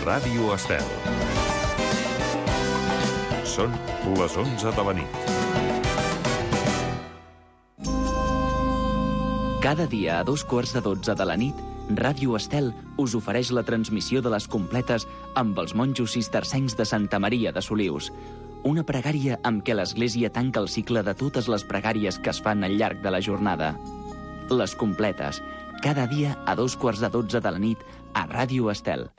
Ràdio Estel. Són les 11 de la nit. Cada dia a 2:15 de la nit, Ràdio Estel us ofereix la transmissió de les completes amb els monjos cistercencs de Santa Maria de Solius. Una pregària amb què l'Església tanca el cicle de totes les pregàries que es fan al llarg de la jornada. Les completes, cada dia a 2:15 de la nit a Ràdio Estel.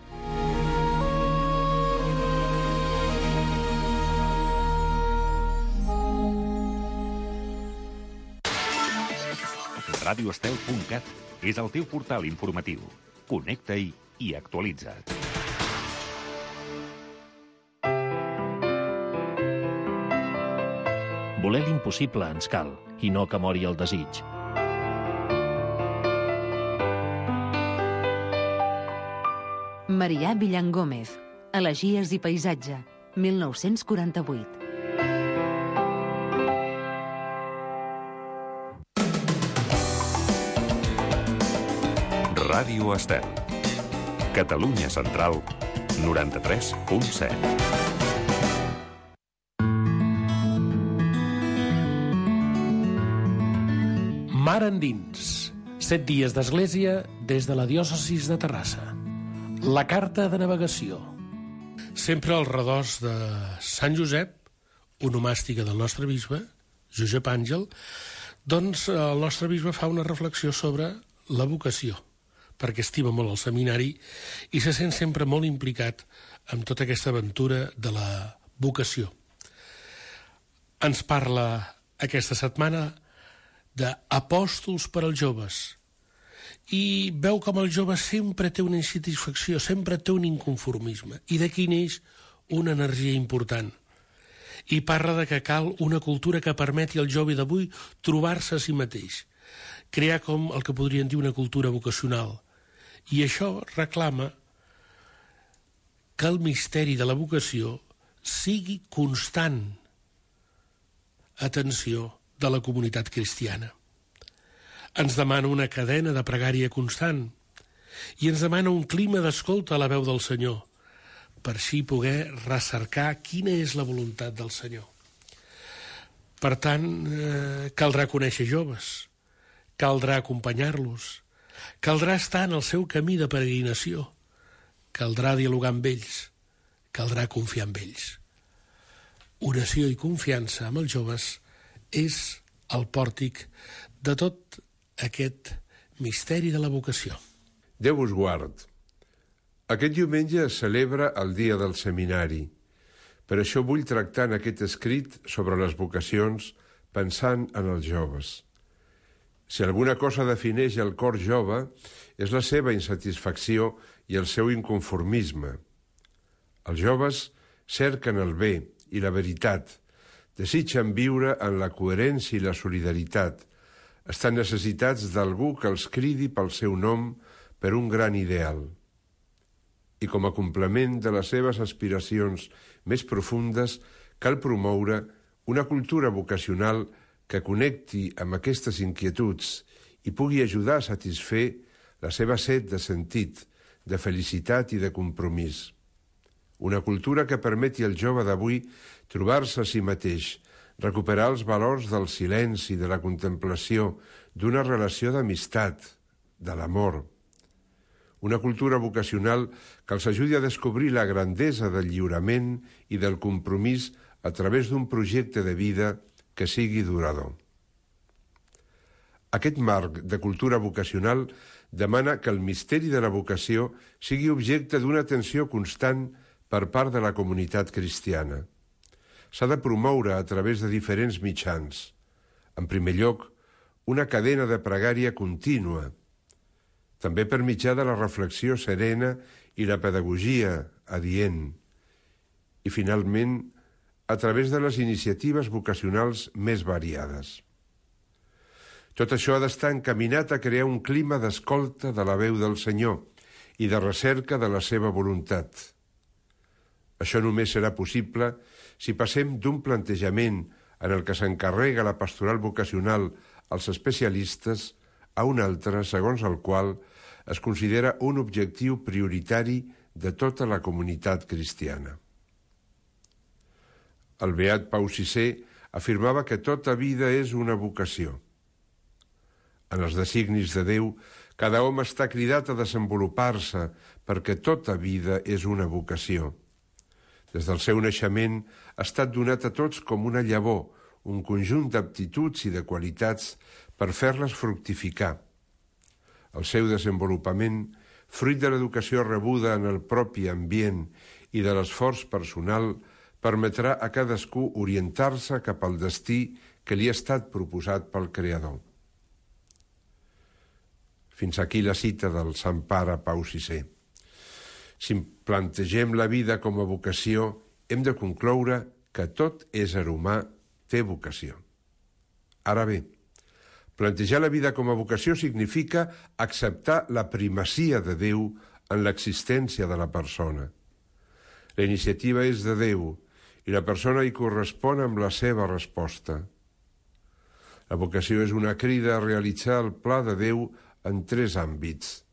radioestel.cat és el teu portal informatiu. Connecta-hi i actualitza't. Voler l'impossible ens cal, i no que mori el desig. Marià Villangómez, Elegies i paisatge, 1948. Ràdio Estel. Catalunya Central, 93.7. Mar endins. 7 dies d'església des de la diòcesis de Terrassa. La carta de navegació. Sempre al redós de Sant Josep, onomàstica del nostre bisbe, Josep Àngel, doncs el nostre bisbe fa una reflexió sobre la vocació, perquè estima molt el seminari i se sent sempre molt implicat en tota aquesta aventura de la vocació. Ens parla aquesta setmana d'apòstols per als joves i veu com el jove sempre té una insatisfacció, sempre té un inconformisme i d'aquí neix una energia important. I parla de que cal una cultura que permeti al jove d'avui trobar-se a si mateix, crear com el que podrien dir una cultura vocacional. I això reclama que el misteri de la vocació sigui constant atenció de la comunitat cristiana. Ens demana una cadena de pregària constant i ens demana un clima d'escolta a la veu del Senyor, per així poder recercar quina és la voluntat del Senyor. Per tant, caldrà conèixer joves, caldrà acompanyar-los, caldrà estar en el seu camí de peregrinació, caldrà dialogar amb ells, caldrà confiar en ells. Oració i confiança amb els joves és el pòrtic de tot aquest misteri de la vocació. Déu us guard. Aquest diumenge es celebra el dia del seminari. Per això vull tractar en aquest escrit sobre les vocacions pensant en els joves. Si alguna cosa defineix el cor jove, és la seva insatisfacció i el seu inconformisme. Els joves cerquen el bé i la veritat, desitgen viure en la coherència i la solidaritat, estan necessitats d'algú que els cridi pel seu nom per un gran ideal. I com a complement de les seves aspiracions més profundes, cal promoure una cultura vocacional que connecti amb aquestes inquietuds i pugui ajudar a satisfer la seva set de sentit, de felicitat i de compromís. Una cultura que permeti al jove d'avui trobar-se a si mateix, recuperar els valors del silenci, de la contemplació, d'una relació d'amistat, de l'amor. Una cultura vocacional que els ajudi a descobrir la grandesa del lliurament i del compromís a través d'un projecte de vida que sigui durador. Aquest marc de cultura vocacional demana que el misteri de la vocació sigui objecte d'una atenció constant per part de la comunitat cristiana. S'ha de promoure a través de diferents mitjans. En primer lloc, una cadena de pregària contínua, també per mitjà de la reflexió serena i la pedagogia adient. I, finalment, a través de les iniciatives vocacionals més variades. Tot això ha d'estar encaminat a crear un clima d'escolta de la veu del Senyor i de recerca de la seva voluntat. Això només serà possible si passem d'un plantejament en el que s'encarrega la pastoral vocacional als especialistes a un altre segons el qual es considera un objectiu prioritari de tota la comunitat cristiana. El beat Pau VI afirmava que tota vida és una vocació. En els designis de Déu, cada home està cridat a desenvolupar-se perquè tota vida és una vocació. Des del seu naixement ha estat donat a tots com una llavor, un conjunt d'aptituds i de qualitats per fer-les fructificar. El seu desenvolupament, fruit de l'educació rebuda en el propi ambient i de l'esforç personal, permetrà a cadascú orientar-se cap al destí que li ha estat proposat pel Creador. Fins aquí la cita del Sant Pare Pau VI. Si plantegem la vida com a vocació, hem de concloure que tot ésser humà té vocació. Ara bé, plantejar la vida com a vocació significa acceptar la primacia de Déu en l'existència de la persona. La iniciativa és de Déu i la persona hi correspon amb la seva resposta. La vocació és una crida a realitzar el pla de Déu en 3 àmbits: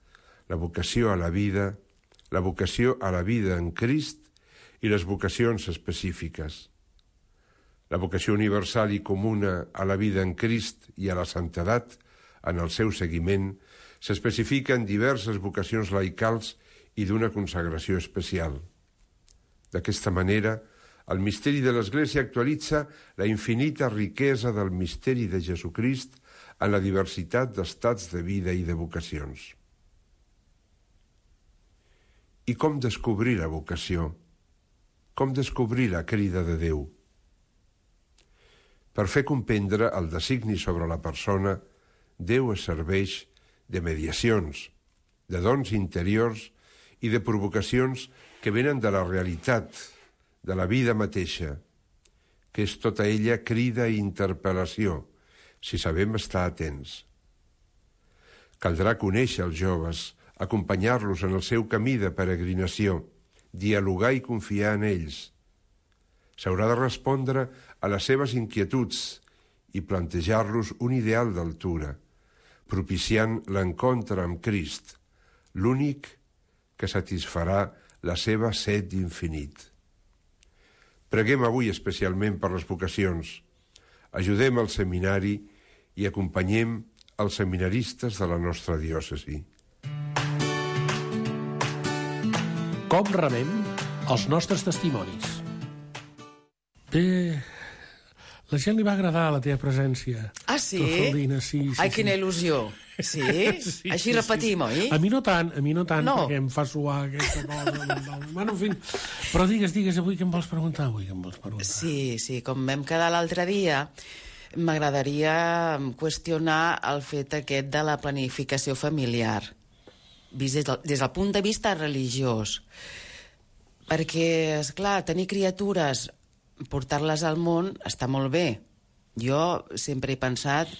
la vocació a la vida, la vocació a la vida en Crist i les vocacions específiques. La vocació universal i comuna a la vida en Crist i a la santedat, en el seu seguiment, s'especifica en diverses vocacions laicals i d'una consagració especial. D'aquesta manera, el misteri de l'Església actualitza la infinita riquesa del misteri de Jesucrist en la diversitat d'estats de vida i de vocacions. I com descobrir la vocació? Com descobrir la crida de Déu? Per fer comprendre el designi sobre la persona, Déu es serveix de mediacions, de dons interiors i de provocacions que venen de la realitat, de la vida mateixa, que és tota ella crida i interpel·lació, si sabem estar atents. Caldrà conèixer els joves, acompanyar-los en el seu camí de peregrinació, dialogar i confiar en ells. S'haurà de respondre a les seves inquietuds i plantejar-los un ideal d'altura, propiciant l'encontre amb Crist, l'únic que satisfarà la seva set d'infinit. Preguem avui especialment per les vocacions, ajudem al seminari i acompanyem els seminaristes de la nostra diòcesi. Com rebem els nostres testimonis? Bé, la gent li va agradar la teva presència. Ah, sí? Trofaldina, sí. Ai, quina il·lusió. Sí? Sí, Així repetim, oi? A mi no tant, No. perquè em fa suar aquesta cosa. Bueno, en fi. Però digues, avui què em vols preguntar? Sí, com vam quedar l'altre dia, m'agradaria qüestionar el fet aquest de la planificació familiar, vist des del punt de vista religiós. Perquè, esclar, tenir criatures, portar-les al món, està molt bé. Jo sempre he pensat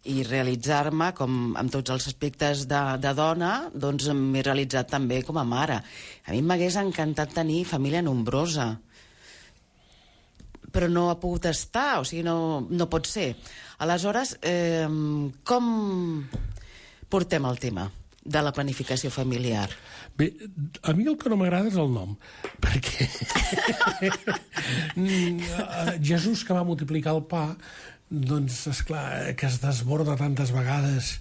i realitzar-me, com amb tots els aspectes de dona, doncs m'he realitzat també com a mare. A mi m'hagués encantat tenir família nombrosa, però no ha pogut estar, o sigui, no pot ser. Aleshores, com portem el tema de la planificació familiar? Bé, a mi el que no m'agrada és el nom, perquè Jesús, que va multiplicar el pa, doncs, esclar, que es desborda tantes vegades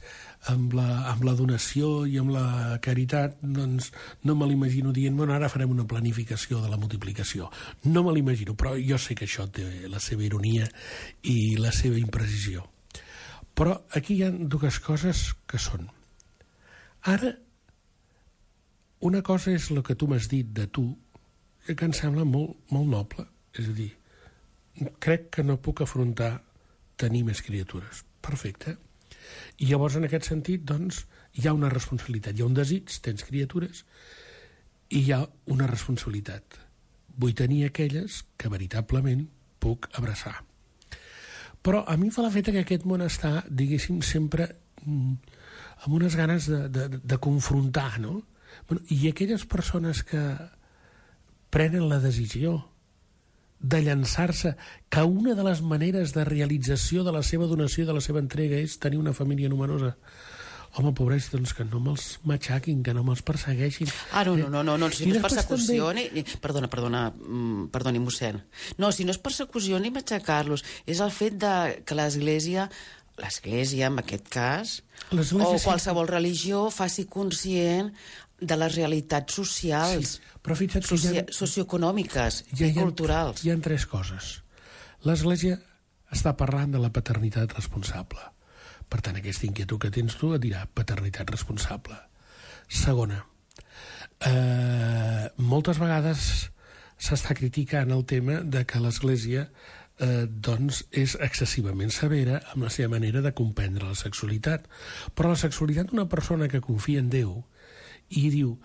amb la donació i amb la caritat, doncs no me l'imagino dient, bueno, ara farem una planificació de la multiplicació. No me l'imagino, però jo sé que això té la seva ironia i la seva imprecisió. Però aquí hi ha 2 coses que són. Ara, una cosa és el que tu m'has dit de tu, que em sembla molt, molt noble. És a dir, crec que no puc afrontar tenir més criatures. Perfecte. I llavors, en aquest sentit, doncs, hi ha una responsabilitat. Hi ha un desig, tens criatures, i hi ha una responsabilitat. Vull tenir aquelles que veritablement puc abraçar. Però a mi fa l'efecte que aquest món està, diguéssim, sempre amb unes ganes de confrontar, no? Bueno, i aquelles persones que prenen la decisió de llançar-se, que una de les maneres de realització de la seva donació i de la seva entrega és tenir una família numerosa. home, pobres, doncs que no me'ls matxaquin, que no me'ls persegueixin. No, si no és persecució ni... Perdoni, mossèn. No, si no és persecució ni matxacar-los, és el fet que l'Església, en aquest cas, o qualsevol religió, faci conscient de les realitats socials, però fixa't que socioeconòmiques i culturals. Hi ha 3 coses. L'Església està parlant de la paternitat responsable. Per tant, aquesta inquietud que tens tu et dirà paternitat responsable. Segona, moltes vegades s'està criticant el tema de que l'Església doncs és excessivament severa amb la seva manera de comprendre la sexualitat. Però la sexualitat d'una persona que confia en Déu i diu,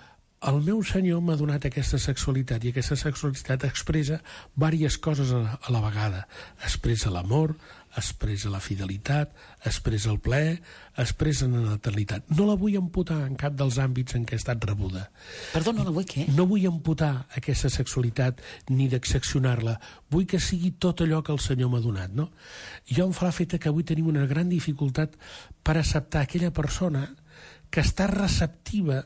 el meu senyor m'ha donat aquesta sexualitat i aquesta sexualitat expressa diverses coses a la vegada. Expressa l'amor, expressa la fidelitat, expressa el plaer, expressa la natalitat. No la vull amputar en cap dels àmbits en què ha estat rebuda. Perdó, no la vull què? No vull amputar aquesta sexualitat ni d'excepcionar-la. Vull que sigui tot allò que el Senyor m'ha donat, no? Jo em fa l'efecte que avui tenim una gran dificultat per acceptar aquella persona que està receptiva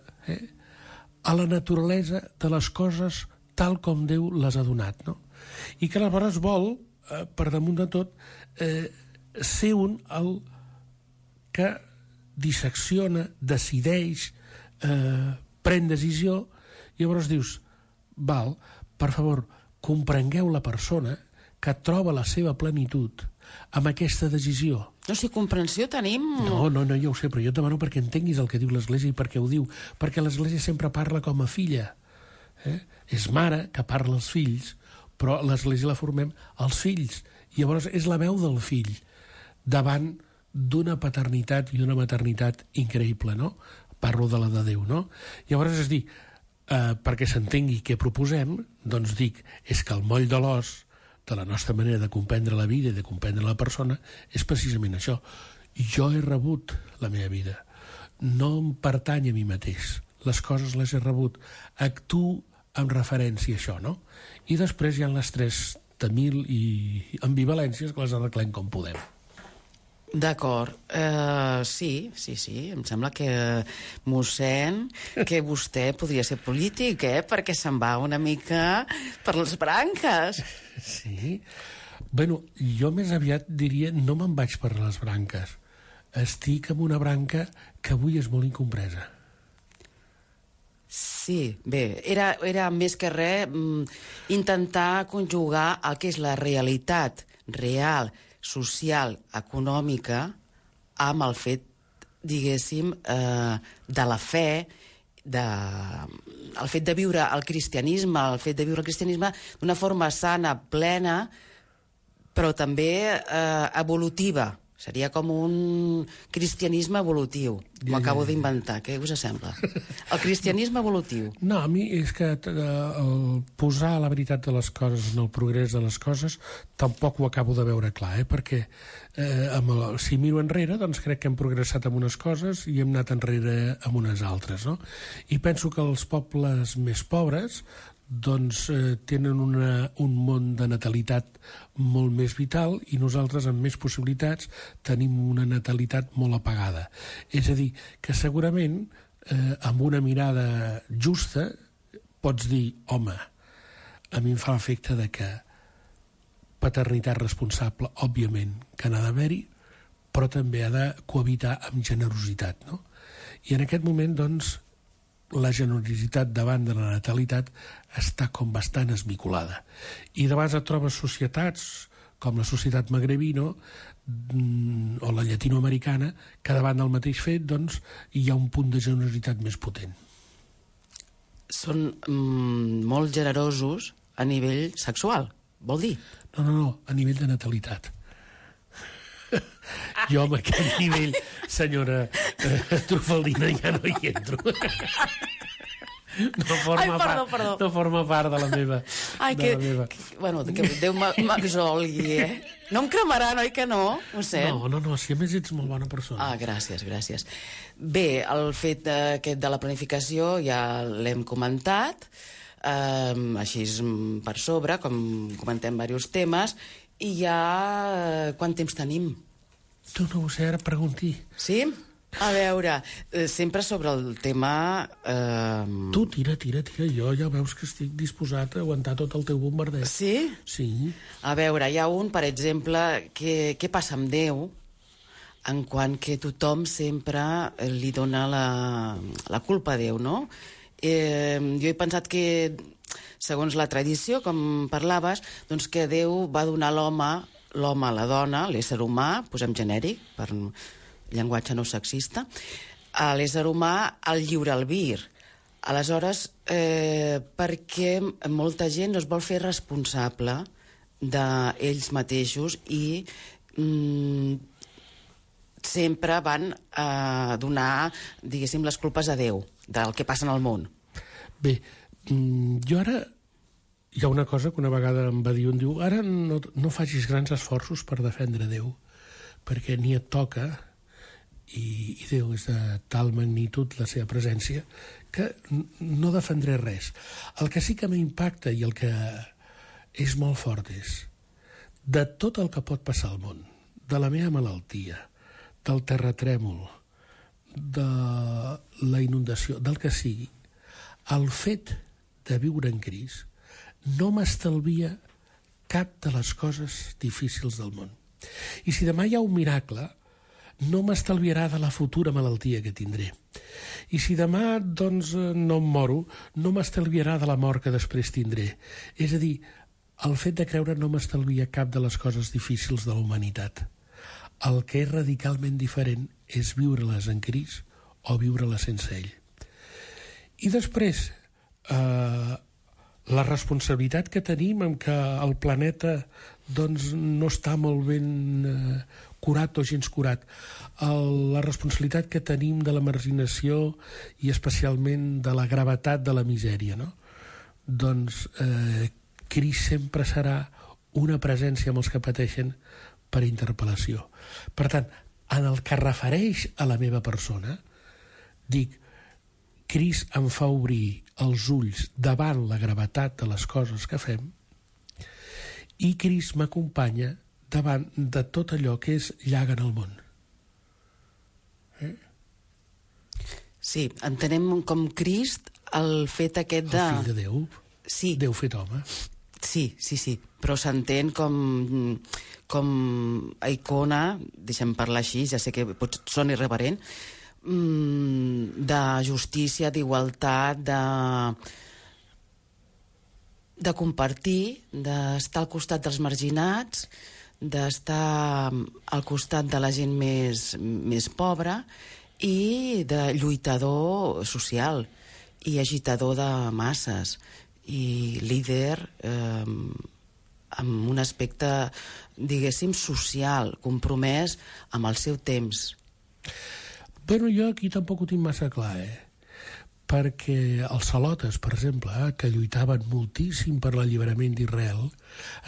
a la naturalesa de les coses tal com Déu les ha donat, no? I que aleshores vol, per damunt de tot, ser el que dissecciona, decideix, pren decisió, i llavors dius, val, per favor, comprengueu la persona que troba la seva plenitud amb aquesta decisió. No, si comprensió tenim... No, ja ho sé, però jo et demano perquè entenguis el que diu l'Església i per què ho diu. Perquè l'Església sempre parla com a filla. És mare que parla als fills, però l'Església la formem als fills. I llavors és la veu del fill davant d'una paternitat i una maternitat increïble, no? Parlo de la de Déu, no? Llavors, és dir, perquè s'entengui què proposem, doncs dic, és que el moll de l'os de la nostra manera de comprendre la vida i de comprendre la persona és precisament això. Jo he rebut la meva vida. No em pertany a mi mateix. Les coses les he rebut. Actuo en referència a això, no? I després hi ha les 3.000 i ambivalències que les arreglem com podem. D'acord. Sí. Em sembla que, mossèn, que vostè podria ser polític, perquè se'n va una mica per les branques. Sí. Bueno, jo més aviat diria no me'n vaig per les branques. Estic en una branca que avui és molt incompresa. Sí, bé, era més que res intentar conjugar el que és la realitat real, social, econòmica, amb el fet, diguéssim, de la fe, el fet de viure el cristianisme, d'una forma sana, plena, però també evolutiva. Seria com un cristianisme evolutiu. M'ho acabo d'inventar, què us sembla? El cristianisme evolutiu. No, a mi és que el posar la veritat de les coses en el progrés de les coses tampoc ho acabo de veure clar, perquè si miro enrere, doncs crec que hem progressat amb unes coses i hem anat enrere amb unes altres, no? I penso que els pobles més pobres doncs tenen un món de natalitat molt més vital i nosaltres amb més possibilitats tenim una natalitat molt apagada. És a dir, que segurament amb una mirada justa pots dir, home, a mi em fa l'efecte de que paternitat responsable, òbviament, que n'ha d'haver-hi, però també ha de cohabitar amb generositat, no? I en aquest moment, doncs, la generositat davant de la natalitat està com bastant esmicolada. I de vegades et trobes societats com la societat magrebina o la llatinoamericana que davant del mateix fet doncs, hi ha un punt de generositat més potent. Són molt generosos a nivell sexual, vol dir? No, a nivell de natalitat. Jo amb aquest nivell, senyora Trufaldina, ja no hi entro. No forma part de la meva... Bueno, que Déu m'exolgui, No em cremarà, oi que no? No, si a més ets molt bona persona. Gràcies. Bé, el fet aquest de la planificació ja l'hem comentat, així per sobre, com comentem diversos temes, i ja quant temps tenim? Tu no ho sé, ara pregunti. Sí? A veure, sempre sobre el tema... Tu tira, jo ja veus que estic disposat a aguantar tot el teu bombardeig. Sí? Sí. A veure, hi ha un, per exemple, què passa amb Déu, en quant que tothom sempre li dona la culpa a Déu, no? Jo he pensat que, segons la tradició, com parlaves, doncs que Déu va donar l'home a la dona, l'ésser humà, posem genèric, per llenguatge no sexista, a l'ésser humà el lliure albir. Aleshores, perquè molta gent no es vol fer responsable d'ells mateixos i sempre van donar, diguéssim, les culpes a Déu del que passa en el món. Bé, jo ara... Hi ha una cosa que una vegada em va dir, un diu, ara no facis grans esforços per defendre Déu, perquè ni et toca, i Déu és de tal magnitud la seva presència, que no defendré res. El que sí que m'impacta i el que és molt fort és de tot el que pot passar al món, de la meva malaltia, del terratrèmol, de la inundació, del que sigui, el fet de viure en Crist no m'estalvia cap de les coses difícils del món. I si demà hi ha un miracle, no m'estalviarà de la futura malaltia que tindré. I si demà, doncs, no em moro, no m'estalviarà de la mort que després tindré. És a dir, el fet de creure no m'estalvia cap de les coses difícils de la humanitat. El que és radicalment diferent és viure-les en Crist o viure-les sense ell. I després, la responsabilitat que tenim en que el planeta doncs, no està molt ben curat o gens curat, la responsabilitat que tenim de la marginació i especialment de la gravetat de la misèria, no? Doncs Crist sempre serà una presència amb els que pateixen per interpel·lació. Per tant, en el que refereix a la meva persona, dic, Crist em fa obrir els ulls davant la gravetat de les coses que fem i Crist m'acompanya davant de tot allò que és llaga en el món. Sí, entenem com Crist el fet aquest de... El fill de Déu. Sí. Déu fet home. Sí, però s'entén com a icona, deixem parlar així, ja sé que pot sonar irreverent, de justícia, d'igualtat, de compartir, d'estar al costat dels marginats, d'estar al costat de la gent més pobra i de lluitador social i agitador de masses i líder amb un aspecte, diguéssim, social, compromès amb el seu temps. Bueno, jo aquí tampoc ho tinc massa clar, perquè els celotes, per exemple, que lluitaven moltíssim per l'alliberament d'Israel,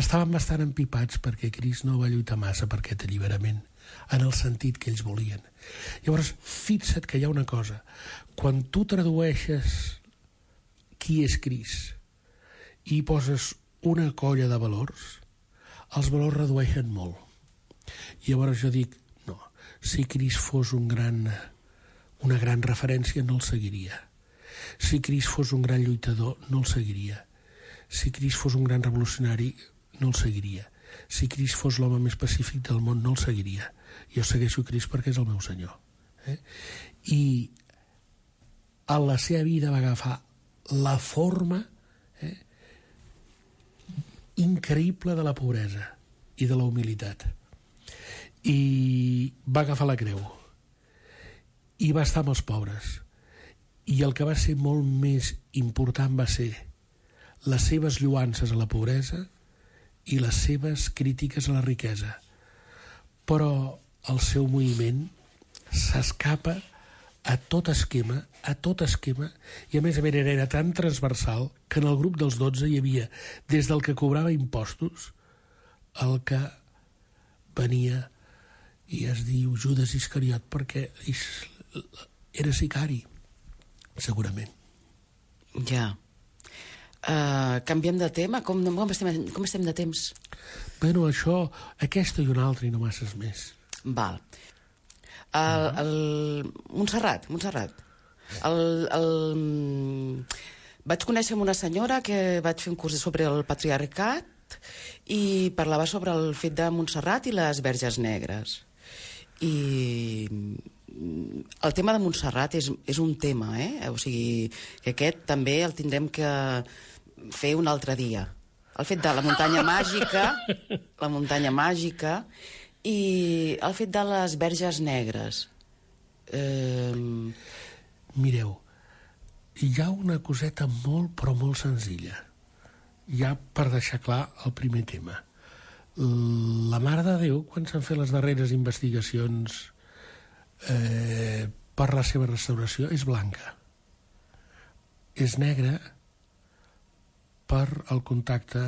estaven bastant empipats perquè Crist no va lluitar massa per aquest alliberament, en el sentit que ells volien. Llavors, fixa't que hi ha una cosa. Quan tu tradueixes qui és Crist i poses una colla de valors, els valors redueixen molt. I llavors jo dic, no, si Crist fos una gran referència, no el seguiria. Si Crist fos un gran lluitador, no el seguiria. Si Crist fos un gran revolucionari, no el seguiria. Si Crist fos l'home més pacífic del món, no el seguiria. Jo segueixo Crist perquè és el meu senyor. I a la seva vida va agafar la forma increïble de la pobresa i de la humilitat. I va agafar la creu. I va estar amb els pobres. I el que va ser molt més important va ser les seves lloances a la pobresa i les seves crítiques a la riquesa. Però el seu moviment s'escapa a tot esquema, i a més era tan transversal que en el grup dels 12 hi havia des del que cobrava impostos el que venia i es diu Judas Iscariot perquè era sicari, segurament. Ja. Canviem de tema? Com estem de temps? Bueno, això, aquesta i una altra i no masses més. Val. Montserrat. Vaig conèixer una senyora que vaig fer un curs sobre el patriarcat i parlava sobre el fet de Montserrat i les Verges Negres. I el tema de Montserrat és un tema, o sigui, que aquest també el tindrem que fer un altre dia. El fet de la muntanya màgica i el fet de les Verges Negres. Mireu, hi ha una coseta molt, però molt senzilla. Ja per deixar clar el primer tema. La Mare de Déu, quan s'han fet les darreres investigacions per la seva restauració, és blanca. És negra per el contacte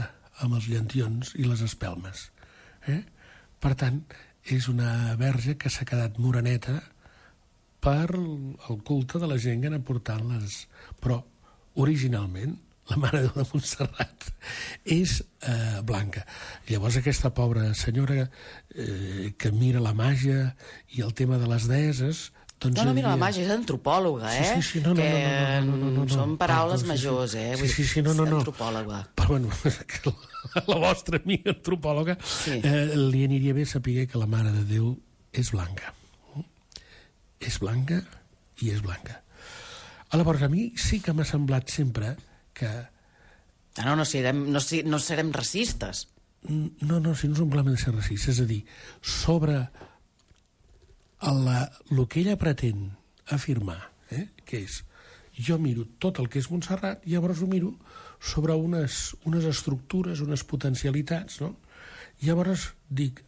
amb els llentions i les espelmes. Per tant, és una verge que s'ha quedat moreneta per el culte de la gent que ha anat portant-les. Però, originalment, la Mare de Déu de Montserrat és blanca. Llavors, aquesta pobra senyora que mira la màgia i el tema de les deeses... No mira la màgia, és antropòloga, Sí, no. Són paraules majors, Sí, no. Antropòloga. Però, bueno, la vostra amiga antropòloga li aniria bé saber que la Mare de Déu és blanca. És blanca i és blanca. Llavors, a mi sí que m'ha semblat sempre que... No serem racistes. No, si no és un problema de ser racistes. És a dir, sobre el que ella pretén afirmar, que és, jo miro tot el que és Montserrat i llavors ho miro sobre unes estructures, unes potencialitats, no? Llavors dic,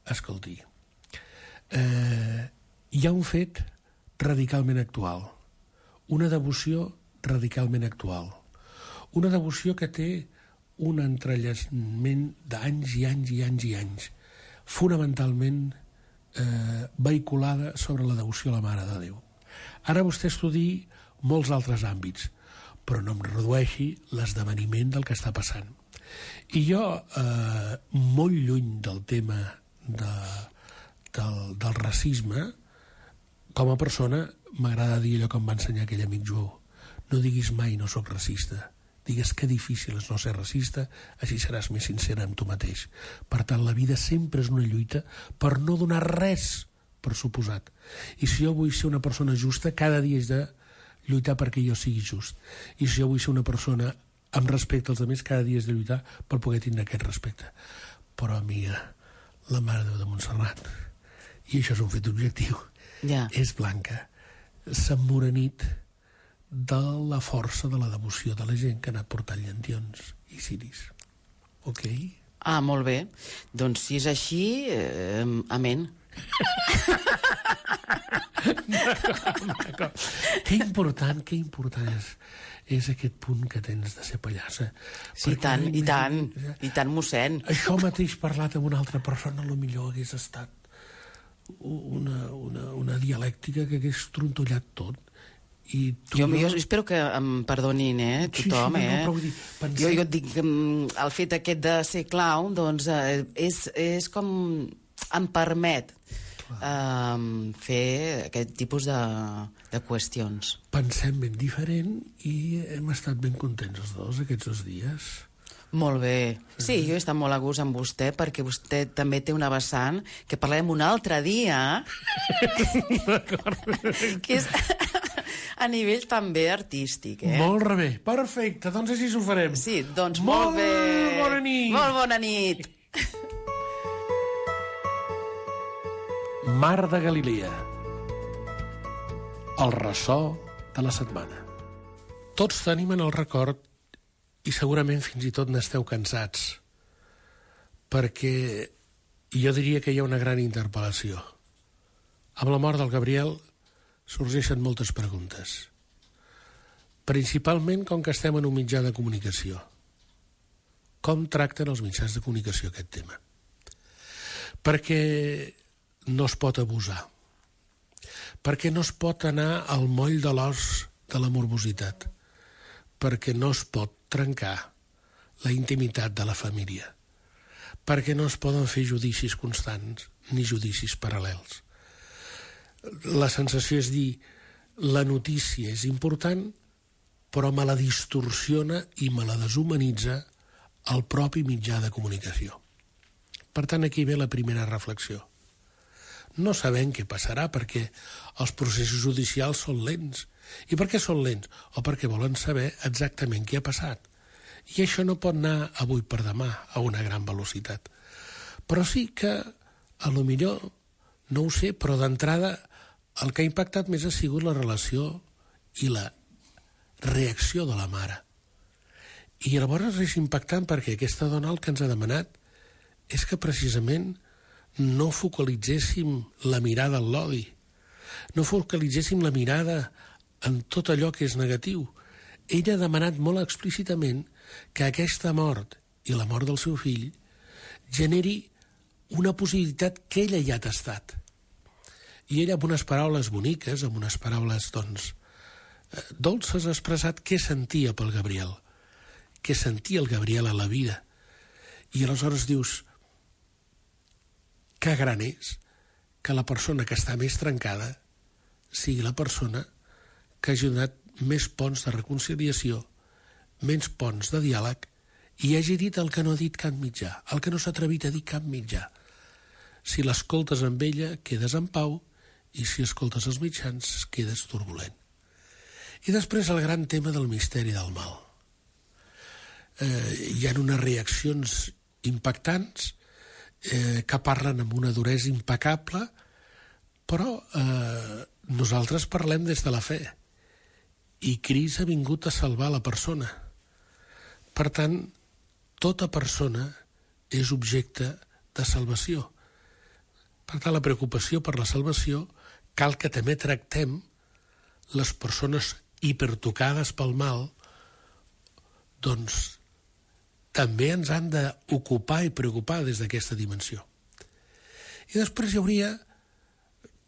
escolti, hi ha un fet radicalment actual, una devoció radicalment actual, una devoció que té un entrellaçament d'anys i anys i anys i anys, fonamentalment vehiculada sobre la devoció a la Mare de Déu. Ara vostè estudiï molts altres àmbits, però no em redueixi l'esdeveniment del que està passant. I jo, molt lluny del tema del racisme, com a persona, m'agrada dir allò que em va ensenyar aquell amic Joan. No diguis mai no sóc racista. Digues que difícil és no ser racista, així seràs més sincera amb tu mateix. Per tant, la vida sempre és una lluita per no donar res per suposat. I si jo vull ser una persona justa, cada dia és de lluitar perquè jo sigui just. I si jo vull ser una persona amb respecte als altres, cada dia és de lluitar per poder tindre aquest respecte. Però, amiga, la Mare de Déu de Montserrat, i això és un fet objectiu, és blanca, s'ha emmorenit de la força de la devoció de la gent que ha anat portant llentions i ciris. Ok? Molt bé. Doncs si és així, amén. D'acord. Que important és aquest punt que tens de ser pallassa. Sí, i tant, mossèn. Això mateix parlat amb una altra persona potser hagués estat una dialèctica que hagués trontollat tot. Jo espero que em perdonin, tothom, Jo et dic, el fet aquest de ser clown, doncs, és com em permet fer aquest tipus de qüestions. Pensem ben diferent i hem estat ben contents els dos aquests 2 dies. Molt bé. Sí, jo he estat molt a gust amb vostè perquè vostè també té una vessant que parlarem un altre dia que és a nivell també artístic. Molt bé, perfecte, doncs així ho farem. Sí, doncs molt bé. Bona nit. Molt bona nit. Mar de Galilea. El ressò de la setmana. Tots tenim en el record i segurament fins i tot n'esteu cansats, perquè jo diria que hi ha una gran interpel·lació. Amb la mort del Gabriel sorgeixen moltes preguntes. Principalment com que estem en un mitjà de comunicació. Com tracten els mitjans de comunicació aquest tema? Perquè no es pot abusar. Perquè no es pot anar al moll de l'os de la morbositat. Perquè no es pot trencar la intimitat de la família, perquè no es poden fer judicis constants ni judicis paral·lels. La sensació és dir, la notícia és important, però me la distorsiona i me la deshumanitza el propi mitjà de comunicació. Per tant, aquí ve la primera reflexió. No sabem què passarà perquè els processos judicials són lents. I per què són lents? O perquè volen saber exactament què ha passat. I això no pot anar avui per demà a una gran velocitat. Però sí que, a lo millor, no ho sé, però d'entrada el que ha impactat més ha sigut la relació i la reacció de la mare. I llavors és impactant perquè aquesta dona el que ens ha demanat és que precisament no focalitzéssim la mirada en l'odi, no focalitzéssim la mirada en tot allò que és negatiu. Ella ha demanat molt explícitament que aquesta mort i la mort del seu fill generi una possibilitat que ella ja ha tastat. I ella, amb unes paraules boniques, amb unes paraules, dolces, ha expressat què sentia pel Gabriel, què sentia el Gabriel a la vida. I aleshores dius, que gran és que la persona que està més trencada sigui la persona que hagi donat més ponts de reconciliació, menys ponts de diàleg, i hagi dit el que no ha dit cap mitjà, el que no s'ha atrevit a dir cap mitjà. Si l'escoltes amb ella, quedes en pau, i si escoltes els mitjans, quedes turbulent. I després el gran tema del misteri del mal. Hi ha unes reaccions impactants que parlen amb una duresa impecable, però nosaltres parlem des de la fe, i Crist ha vingut a salvar la persona. Per tant, tota persona és objecte de salvació. Per tant, la preocupació per la salvació cal que també tractem les persones hipertocades pel mal, doncs també ens han d'ocupar i preocupar des d'aquesta dimensió. I després hi hauria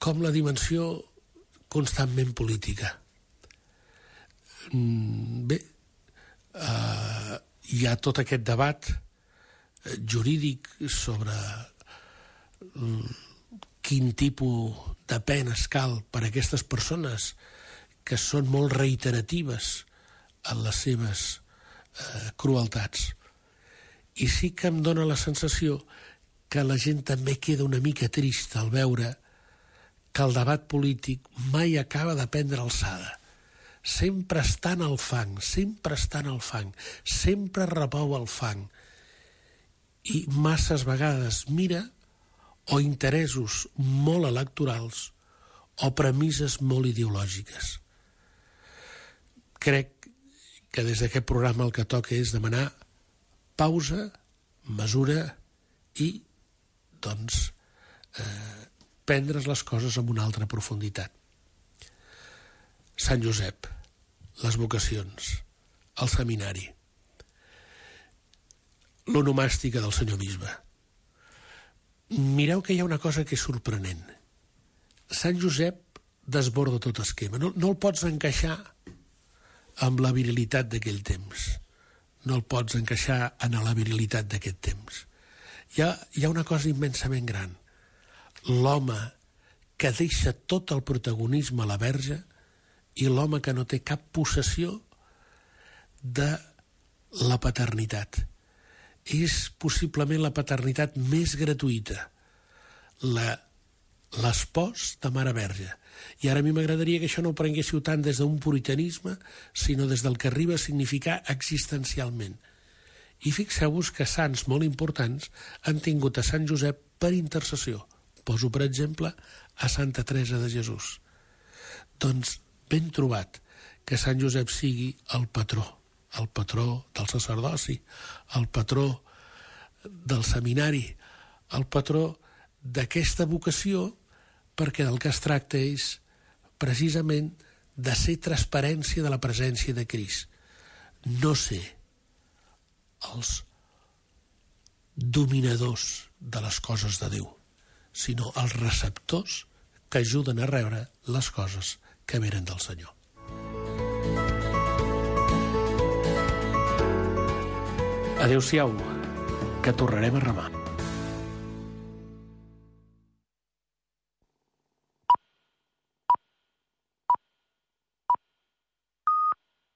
com la dimensió constantment política. Bé, hi ha tot aquest debat jurídic sobre quin tipus de penes cal per a aquestes persones que són molt reiteratives en les seves crueltats. I sí que em dóna la sensació que la gent també queda una mica trista al veure que el debat polític mai acaba de prendre alçada. Sempre està en el fang, sempre està en el fang, sempre repou el fang. I masses vegades mira o interessos molt electorals o premisses molt ideològiques. Crec que des d'aquest programa el que toca és demanar pausa, mesura i, doncs, prendre's les coses amb una altra profunditat. Sant Josep, les vocacions, el seminari, l'onomàstica del senyor bisbe. Mireu que hi ha una cosa que és sorprenent. Sant Josep desborda tot esquema. No el pots encaixar amb la virilitat d'aquell temps. No el pots encaixar en la virilitat d'aquest temps. Hi ha una cosa immensament gran. L'home que deixa tot el protagonisme a la Verge i l'home que no té cap possessió de la paternitat. És possiblement la paternitat més gratuïta, l'espòs de Mare Verge. I ara a mi m'agradaria que això no ho prenguéssiu tant des d'un puritanisme, sinó des del que arriba a significar existencialment. I fixeu-vos que sants molt importants han tingut a Sant Josep per intercessió. Poso, per exemple, a Santa Teresa de Jesús. Doncs ben trobat que Sant Josep sigui el patró del sacerdoci, el patró del seminari, el patró d'aquesta vocació, perquè del que es tracta és precisament de ser transparència de la presència de Crist. No ser els dominadors de les coses de Déu, sinó els receptors que ajuden a rebre les coses que venen del Senyor. Adéu-siau, que tornarem a remar.